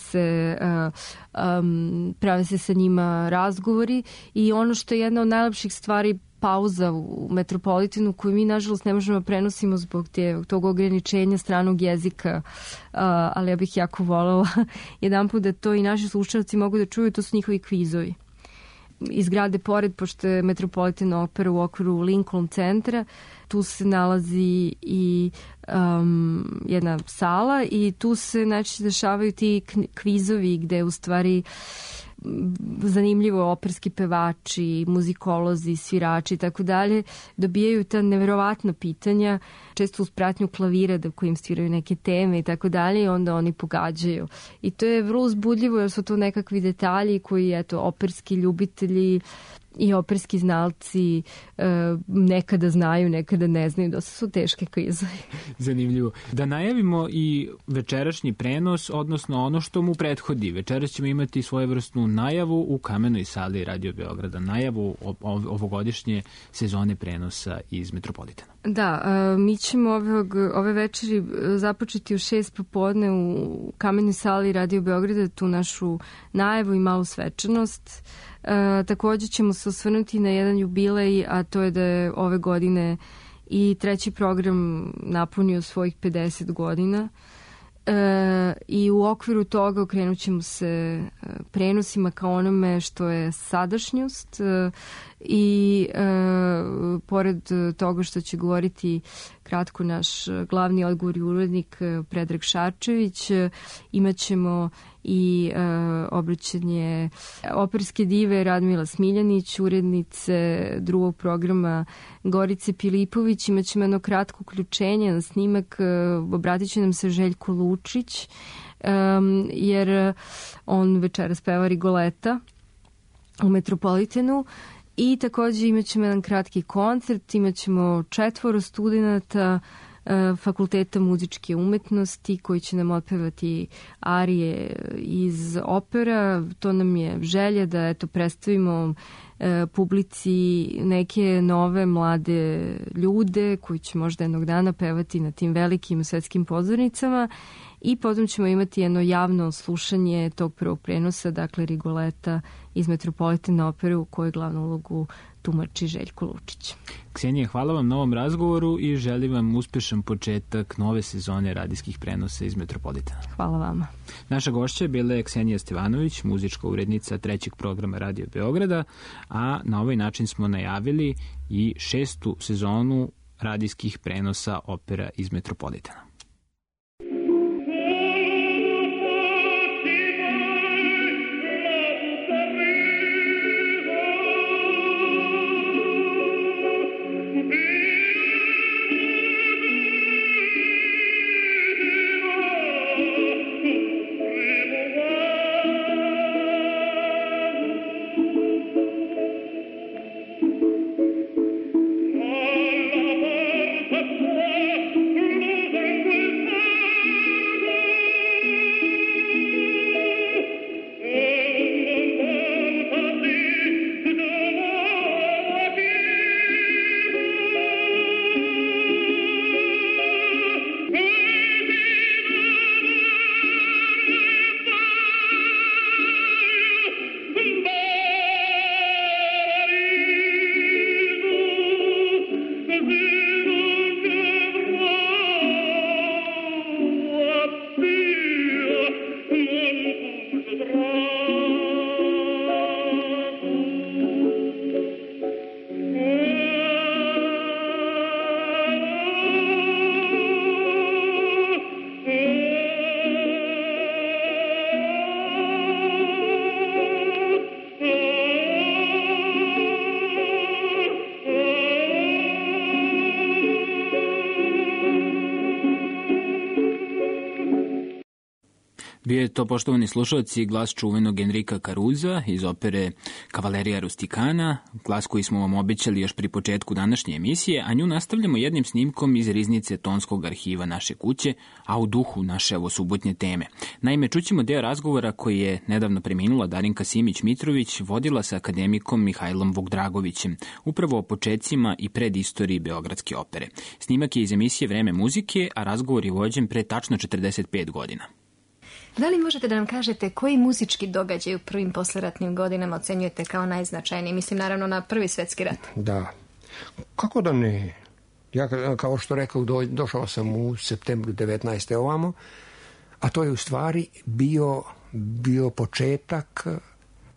se sa njima razgovori i ono što je jedna od najlepših stvari pauza u Metropolitanu koju mi nažalost ne možemo prenosimo zbog tog ograničenja stranog jezika, ali ja bih jako voljela jedan put da to i naši slušalci mogu da čuju, to su njihovi kvizovi. Iz grade pored, pošto je Metropolitan opera u okviru Lincoln centra, tu se nalazi i jedna sala i tu se znači dešavaju ti kvizovi gde u stvari zanimljivo operski pevači, muzikolozi, svirači i tako dalje dobijaju ta neverovatna pitanja, često uz pratnju klavira da kojim sviraju neke teme i tako dalje i onda oni pogađaju. I to je vrlo uzbudljivo jer su to nekakvi detalji koji, eto, operski ljubitelji i operski znalci nekada znaju, nekada ne znaju, dosta su teške kvizovi. Zanimljivo. Da najavimo i večerašnji prenos, odnosno ono što mu prethodi. Večeras ćemo imati svojevrsnu najavu u Kamenoj sali Radio Beograda, najavu ovogodišnje sezone prenosa iz Metropolitana. Da, mi ćemo ove večeri započeti u 6 popodne u Kamenoj sali Radio Beograda, tu našu najavu i malu svečanost. Također ćemo se osvrnuti na jedan jubilej, a to je da je ove godine i treći program napunio svojih 50 godina. I u okviru toga okrenut ćemo se prenosima kao onome što je sadašnjost i pored toga što će govoriti kratko naš glavni odgovorni urednik Predrag Šarčević, imat ćemo i obraćanje operske dive Radmila Smiljanić, urednice drugog programa Gorice Pilipović. Imat ćemo jedno kratko uključenje na snimak, obratit će nam se Željko Lučić, jer on večeras peva Rigoleta u Metropolitanu. I također imat ćemo jedan kratki koncert, imat ćemo 4 studenata Fakulteta muzičke umetnosti koji će nam otpevati arije iz opera. To nam je želja da eto predstavimo publici neke nove mlade ljude koji će možda jednog dana pevati na tim velikim svetskim pozornicama i potom ćemo imati jedno javno slušanje tog prvog prenosa, dakle Rigoleta iz Metropolitana opere u kojoj glavnu ulogu tumači Željko Lučić. Ksenija, hvala vam na ovom razgovoru i želim vam uspešan početak nove sezone radijskih prenosa iz Metropolitana. Hvala vama. Naša gošća je bila Ksenija Stevanović, muzička urednica trećeg programa Radio Beograda, a na ovaj način smo najavili i 6. sezonu radijskih prenosa opera iz Metropolitana. Alla porta tua, Bio je to, poštovani slušalci, glas čuvenog Enrika Caruza iz opere Kavalerija Rustikana, glas koji smo vam obećali još pri početku današnje emisije, a nju nastavljamo jednim snimkom iz riznice tonskog arhiva naše kuće, a u duhu naše ovo subotnje teme. Naime, čućemo deo razgovora koji je nedavno preminula Darinka Simić-Mitrović vodila sa akademikom Mihajlom Vukdragovićem, upravo o počecima i predistoriji Beogradske opere. Snimak je iz emisije Vreme muzike, a razgovor je vođen pre tačno 45 godina. Da li možete da nam kažete koji muzički događaj u prvim posleratnim godinama ocenjujete kao najznačajniji? Mislim naravno na Prvi svjetski rat. Da. Kako da ne? Ja, kao što rekao, došao sam u septembru 19. ovamo, a to je u stvari bio početak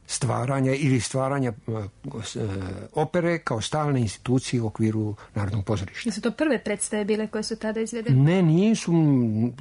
stvaranja opere kao stalne institucije u okviru Narodnog pozorišta. Su to prve predstave bile koje su tada izvedene? Ne, nisu.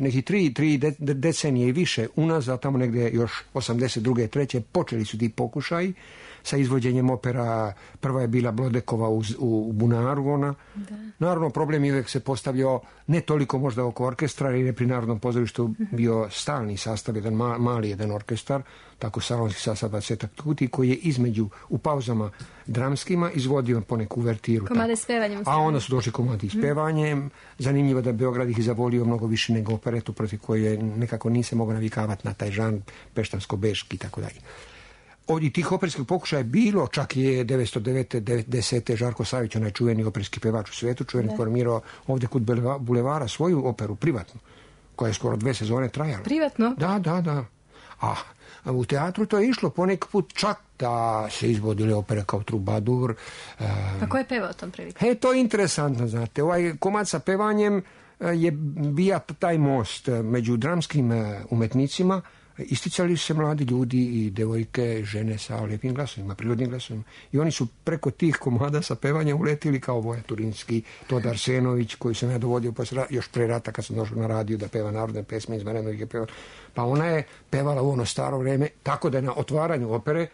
Neki tri decenije i više unazad, tamo negdje još 82. 3. počeli su ti pokušaji sa izvođenjem opera. Prva je bila Blodekova u Bunaru, ona. Da. Naravno, problem je uvijek se postavljao ne toliko možda oko orkestra, jer je pri Narodnom pozorištu bio stalni sastav, mali jedan orkestar, tako salonski sastav 20 tuti, koji je između u pauzama dramskima izvodio poneku uvertiru. Komade s pevanjem. A onda su došli komadi s pevanjem. Zanimljivo da Beograd ih zavolio mnogo više nego operetu, protiv koje nekako nise mogao navikavati na taj žan peštansko-beški i tako dalje. Ovdje tih operskih pokušaja je bilo, čak je 1909. 10. Žarko Savić, onaj čuveni operski pevač u svijetu, formirao ovdje kod Bulevara svoju operu privatnu, koja je skoro 2 sezone trajala. Privatno? Da. A u teatru to je išlo poneki put čak da se izvodile opere kao Trubadur. Pa ko je pevao tom prilikom? To je interesantno, znate. Ovaj komad sa pevanjem je bija taj most među dramskim umetnicima. Isticali su se mladi ljudi i devojke, žene sa lijepim glasovima, prirodnim glasovima. I oni su preko tih komada sa pevanjem uletili kao Voja Turinski, Todor Arsenović, koji sam ja dovodio još pre rata kad sam došao na radio da peva narodne pesme iz Marenovike peva. Pa ona je pevala u ono staro vreme, tako da je na otvaranju opere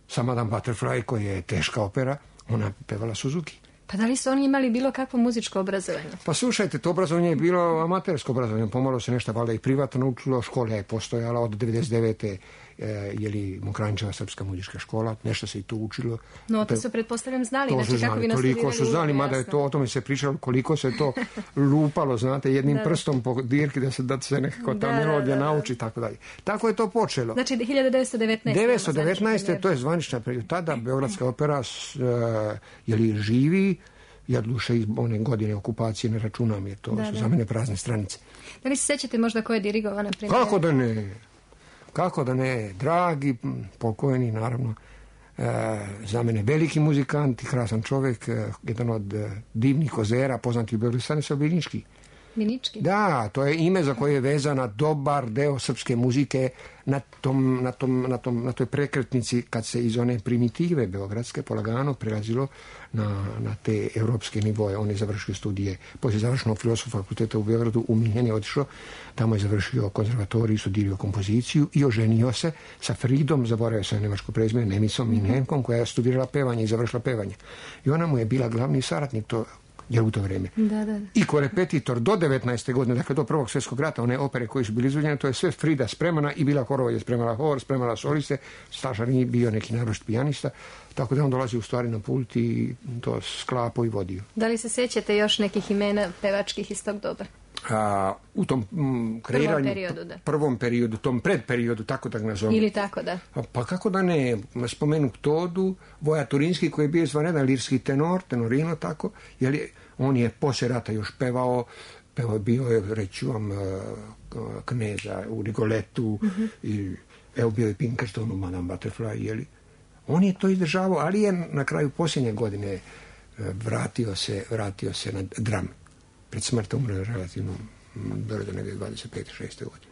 sa Madame Butterfly, koja je teška opera, ona pevala Suzuki. Pa da li su oni imali bilo kakvo muzičko obrazovanje? Pa slušajte, to obrazovanje je bilo amatersko obrazovanje. Pomalo se nešto valjda i privatno učilo. Škola je postojala od 99. Mokranjčeva srpska muzička škola. Nešto se i tu učilo. No, to su pretpostavljam znali. To su znali, toliko su znali, mada je to, o tome se pričalo koliko se to lupalo, znate, jednim prstom po dirki da se nekako ta melodija nauči, tako dalje. Tako je to počelo. Znači 1919. 1919. to je zvanična period. Tada Beogradska opera živi. Ja duše iz one godine okupacije ne računam, jer to su za mene prazne stranice. Da li se sećate možda ko je dirigovao, na primjer? Kako da ne, dragi pokojni, naravno, za mene veliki muzikant i krasan čovjek, jedan od divnih kozera, poznati u Beogradu, Stanislav Binički. Binički? Da, to je ime za koje je vezana dobar deo srpske muzike na toj prekretnici kad se iz one primitive beogradske polagano prelazilo na te europske nivoje. On je završio studije, poslije završenog filozofskog fakulteta u Beogradu, u Minhen je otišao, tamo je završio konzervatoriju, studirao kompoziciju i oženio se sa Fridom, zaboravio sam nemačko prezime, Nemicom Minhenkom, koja je studirala pevanje i završila pevanje. I ona mu je bila glavni saradnik jer u to vrijeme. Da. I korepetitor do 19. godine, dakle do Prvog svjetskog rata, one opere koje su bili izvođene, to je sve Frida spremana i bila Horova je spremala hor, spremala soliste, Stašar nije bio neki naročit pijanista, tako da on dolazi u stvari na pult i to sklapo i vodio. Da li se sjećate još nekih imena pevačkih iz tog doba? U tom kreiranju, prvom periodu, tom predperiodu, tako da ga nazovem. Ili tako, da. Pa kako da ne, spomenu Todu, Voja Turinski, koji je bio izvanredan lirski tenorino, tako, jer on je poslije rata još pevao bio je, reću vam, Kneza u Rigoletu, i evo bio je Pinkerton u Madame Butterfly, jeli. On je to izdržavao, ali je na kraju posljednje godine vratio se na dram. Pred smrtom umre relativno brzo, negdje 25-6. godine.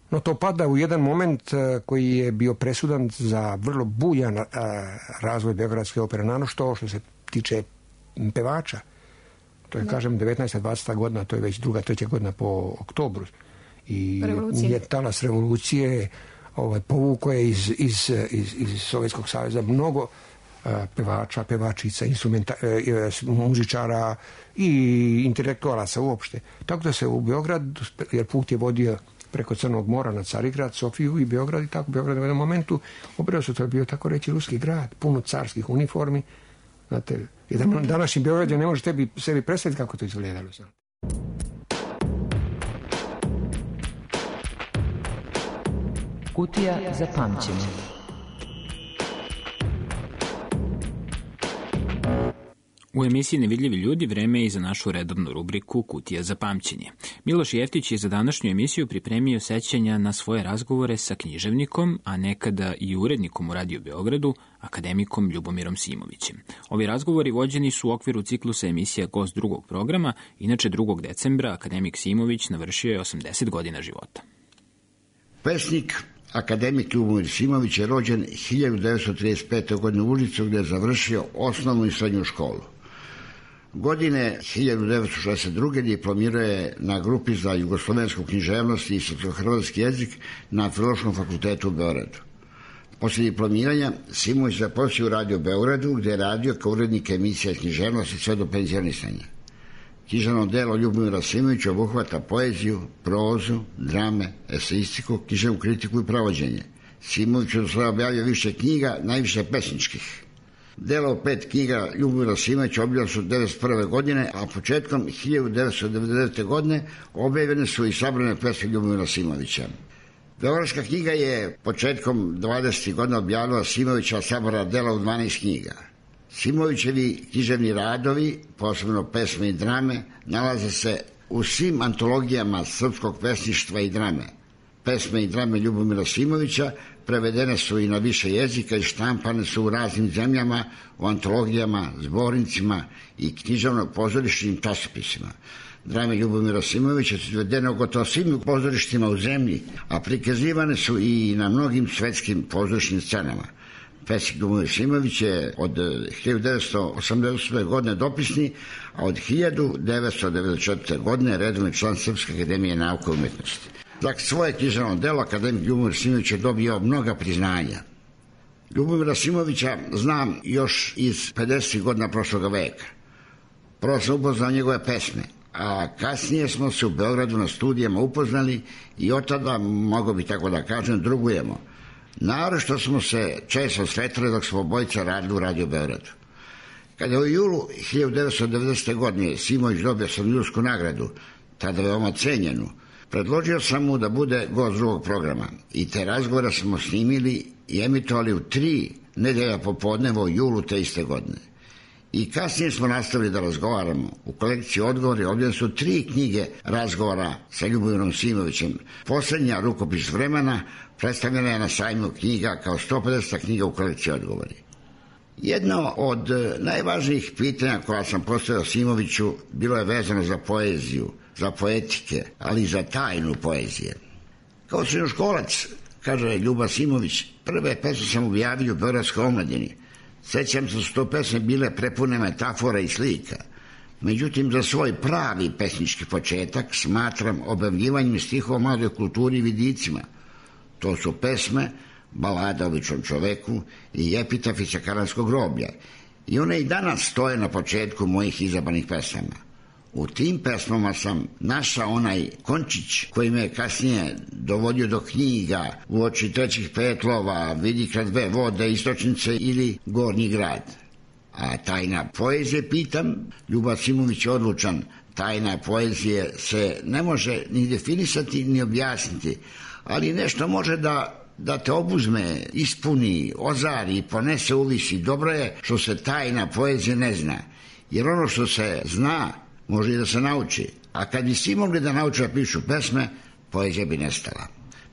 No to pada u jedan moment koji je bio presudan za vrlo bujan razvoj Beogradske opere, što se tiče pevača. To je, kažem, 19. 20. godina, to je već 2. 3. godina po oktobru. I je talas revolucije povukao je iz Sovjetskog saveza mnogo pevača, pevačica, muzičara i intelektualaca uopšte. Tako da se u Beograd, jer put je vodio preko Crnog mora na Carigrad, Sofiju i Beograd i tako. Beograd u jednom momentu obreo se, to je bio tako reći ruski grad, puno carskih uniformi. Znate, jedan današnji Beograd ne može sebi predstaviti kako to izgledalo. Kutija za pamćenje. U emisiji Nevidljivi ljudi vreme je i za našu redovnu rubriku Kutija za pamćenje. Miloš Jeftić je za današnju emisiju pripremio sećanja na svoje razgovore sa književnikom, a nekada i urednikom u Radio Beogradu, akademikom Ljubomirom Simovićem. Ovi razgovori vođeni su u okviru ciklusa emisija Gost drugog programa, inače 2. decembra akademik Simović navršio je 80 godina života. Pesnik akademik Ljubomir Simović je rođen 1935. godine u Užicu, gdje je završio osnovnu i srednju školu. Godine 1962. diplomirao je na grupi za jugoslovensku književnost i srpsko-hrvatski jezik na Filološkom fakultetu u Beogradu. Poslije diplomiranja Simović zaposlio u Radio Beogradu, gdje je radio kao urednik emisija književnosti sve do penzionisanja. Književno delo Ljubomira Simovića obuhvata poeziju, prozu, drame, eseistiku, književnu kritiku i pravođenje. Simović je do sada objavio više knjiga, najviše pesničkih. Delo 5 knjiga Ljubomira Simovića objavljeno su 1991. godine, a početkom 1999. godine objavljene su i sabrane pesme Ljubomira Simovića. Beogradska knjiga je početkom 20. godina objavila Simovića sabora dela u 12 knjiga. Simovićevi književni radovi, posebno pesme i drame, nalaze se u svim antologijama srpskog pesništva i drame. Pesme i drame Ljubomira Simovića prevedene su i na više jezika i štampane su u raznim zemljama, u antologijama, zbornicima i književno-pozorišnim časopisima. Drame Ljubomira Simovića su izvedene u gotovo svim pozorištima u zemlji, a prikazivane su i na mnogim svetskim pozorišnim scenama. Pesnik Ljubomir Simović je od 1988. godine dopisni, a od 1994. godine redovni član Srpske akademije nauke i umetnosti. Za svoje književno delo akademik Ljubomir Simović je dobio mnoga priznanja. Ljubomira Simovića znam još iz 50. godina prošloga veka. Prvo sam upoznao njegove pesme, a kasnije smo se u Beogradu na studijama upoznali i od tada, mogu bi tako da kažem, drugujemo. Naročito smo se često sretali dok smo obojica radili u Radio Beogradu. Kada je u julu 1990. godine Simović dobio Slavnijsku nagradu, tada veoma cenjenu, predložio sam mu da bude gost drugog programa i te razgovore smo snimili i emitovali u 3 nedelja popodneva u julu te iste godine. I kasnije smo nastavili da razgovaramo. U kolekciji Odgovori objavljene su 3 knjige razgovora sa Ljubomirom Simovićem. Posljednja, Rukopis vremena, predstavljena je na sajmu knjiga kao 150. knjiga u kolekciji Odgovori. Jedno od najvažnijih pitanja koja sam postavio Simoviću bilo je vezano za poeziju, za poetike, ali i za tajnu poezije. Kao srednjoškolac, kaže Ljuba Simović, prve pesme sam objavio u Beogradskoj omladini. Sećam se da su to pesme bile prepune metafora i slika. Međutim, za svoj pravi pesnički početak smatram objavljivanjem stihova o mladoj kulturi i vidicima. To su pesme, balada o običnom čoveku i epitafi sa Karanskog groblja. I one i danas stoje na početku mojih izabranih pesama. U tim pesmama sam našao onaj končić koji me kasnije dovodio do knjiga Uoči trećih petlova, Vidi kraj dve vode, Istočnice ili Gornji grad. A tajna poezije, pitam, Ljuba Simović je odlučan, tajna poezije se ne može ni definisati ni objasniti, ali nešto može da te obuzme, ispuni, ozari, ponese uvisi. Dobro je što se tajna poezije ne zna, jer ono što se zna može i da se nauči, a kad bi svi mogli da nauče da pišu pesme, poezija bi nestala.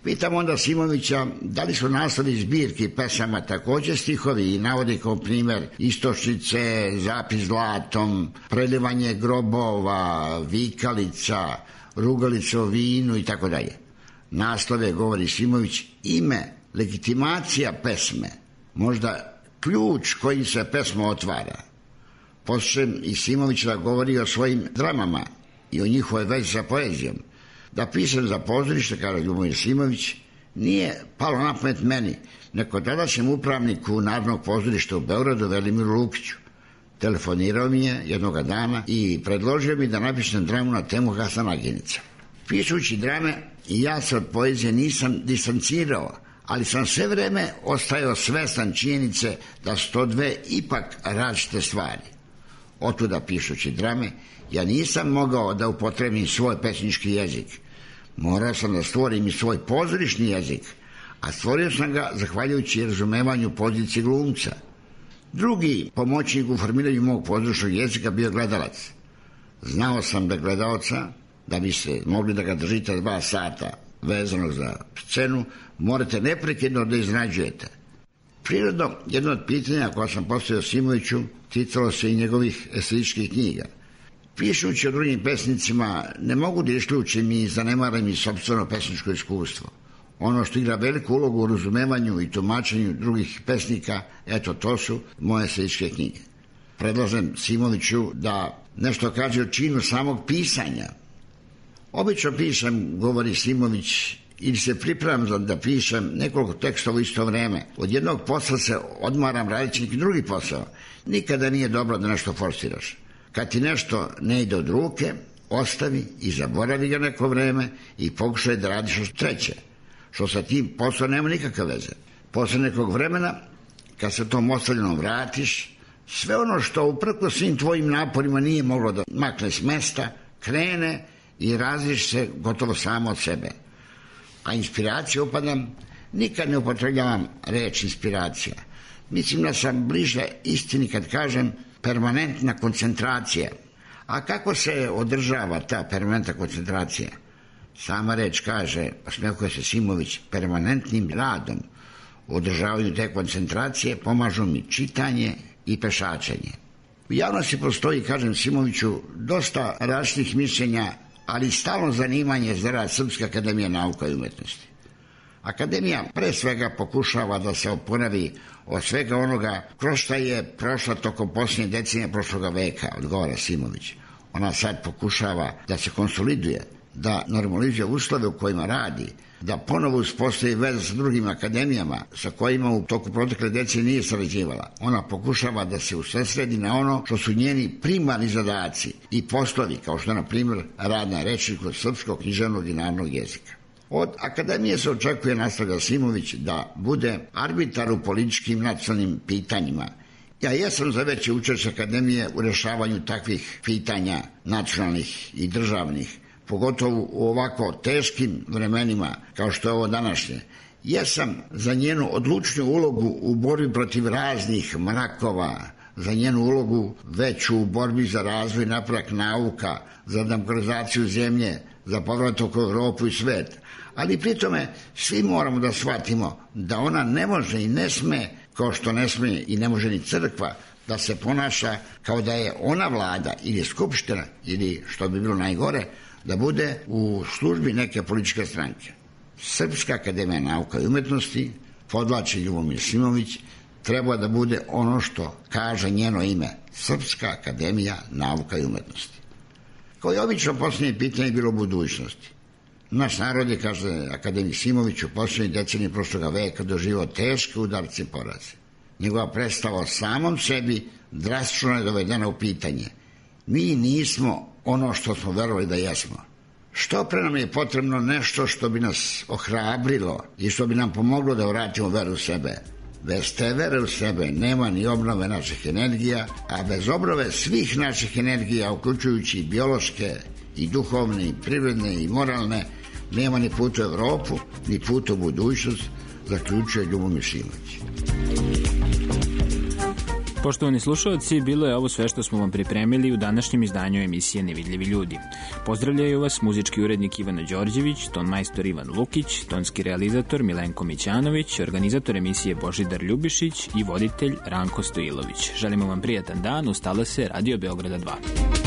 Pitam onda Simovića da li su naslovi zbirki pesama također stihovi i navodi kao primjer Istočnice, Zapis zlatom, Prelivanje grobova, Vikalica, Rugalica o vinu i tako dalje. Naslove, govori Simović, ime, legitimacija pesme, možda ključ kojim se pesma otvara. Poslušam i Simović da govori o svojim dramama i o njihovoj vezi sa poezijom. Da pisam za pozorište, kaže Ljubomir Simović, nije palo na pamet meni, nego tadašnjem upravniku Narodnog pozorišta u Beogradu, Velimiru Lukiću. Telefonirao mi je jednoga dana i predložio mi da napišem dramu na temu Hasan Agenica. Pišući drame, ja se od poezije nisam distancirao, ali sam sve vreme ostajao svestan činjenice da su to dve ipak različite stvari. Otuda pišući drame, ja nisam mogao da upotrebim svoj pesnički jezik. Morao sam da stvorim i svoj pozorišni jezik, a stvorio sam ga zahvaljujući razumevanju pozicije glumca. Drugi pomoćnik u formiranju mog pozorišnog jezika bio gledalac. Znao sam da gledalca, da biste mogli da ga držite 2 sata vezanog za scenu, morate neprekidno da iznenađujete. Prirodno, jedno od pitanja koja sam postavio Simoviću ticalo se i njegovih estetičkih knjiga. Pišući o drugim pesnicima, ne mogu da isključim i zanemarim i sopstveno pesničko iskustvo. Ono što igra veliku ulogu u razumevanju i tumačenju drugih pesnika, eto, to su moje estetičke knjige. Predlažem Simoviću da nešto kaže o činu samog pisanja. Obično pišem, govori Simović, ili se pripremam da pišem nekoliko tekstova u isto vreme. Od jednog posla se odmaram radeći neki drugi posao. Nikada nije dobro da nešto forsiraš. Kad ti nešto ne ide od ruke, ostavi i zaboravi ga neko vreme i pokušaj da radiš što treće. Što sa tim poslom nema nikakve veze. Posle nekog vremena, kad se tom ostavljenom vratiš, sve ono što uprkos svim tvojim naporima nije moglo da makne s mesta, krene i različi se gotovo samo od sebe. A inspiracija upadam, nikad ne upotrebljavam reč inspiracija. Mislim da sam bliže istini kad kažem permanentna koncentracija. A kako se održava ta permanentna koncentracija? Sama reč kaže, osmehuje se Simović, permanentnim radom u održavanju te koncentracije pomažu mi čitanje i pešačenje. U javnosti postoji, kažem Simoviću, dosta različitih mišljenja, ali stalno zanimanje za rad Srpske akademije nauka i umetnosti. Akademija pre svega pokušava da se oporavi od svega onoga kroz šta je prošla tokom posljednje decenije prošloga veka, odgovara Simović. Ona sad pokušava da se konsoliduje, da normalizuje uslove u kojima radi, da ponovo uspostavi veze sa drugim akademijama sa kojima u toku protekle decenije nije sarađivala. Ona pokušava da se usredsredi na ono što su njeni primarni zadaci i poslovi, kao što je, na primjer, rad na rečniku srpskog, književnog i narodnog jezika. Od akademije se očekuje, nastavlja Simović, da bude arbitar u političkim nacionalnim pitanjima. Ja jesam za veće učešće akademije u rešavanju takvih pitanja nacionalnih i državnih, pogotovo u ovako teškim vremenima kao što je ovo današnje. Jesam za njenu odlučniju ulogu u borbi protiv raznih mrakova, za njenu ulogu veću u borbi za razvoj i napredak nauka, za demokratizaciju zemlje, za povratak u Evropu i svet. Ali pri tome svi moramo da shvatimo da ona ne može i ne sme, kao što ne sme i ne može ni crkva, da se ponaša kao da je ona vlada ili skupština ili, što bi bilo najgore, da bude u službi neke političke stranke. Srpska akademija nauka i umetnosti, podvlači Ljubomir Simović, treba da bude ono što kaže njeno ime, Srpska akademija nauka i umetnosti. Kao i obično, posljednje pitanje je bilo budućnosti. Naš narod je, kaže akademik Simović, u posljednjih deceniji prošloga veka doživao teške udarce i poraze. Njegova predstava o samom sebi drastično je dovedena u pitanje. Mi nismo ono što smo verovali da jesmo. Što pre nam je potrebno nešto što bi nas ohrabrilo i što bi nam pomoglo da vratimo veru u sebe. Bez te vere u sebe nema ni obnove naših energija, a bez obnove svih naših energija, uključujući biološke i duhovne i privredne i moralne, nema ni put u Evropu, ni put u budućnost, zaključuje Ljubomir Simović. Poštovani slušalci, bilo je ovo sve što smo vam pripremili u današnjem izdanju emisije Nevidljivi ljudi. Pozdravljaju vas muzički urednik Ivana Đorđević, tonmajstor Ivan Lukić, tonski realizator Milenko Mićanović, organizator emisije Božidar Ljubišić i voditelj Ranko Stojilović. Želimo vam prijatan dan, ustala se Radio Beograda 2.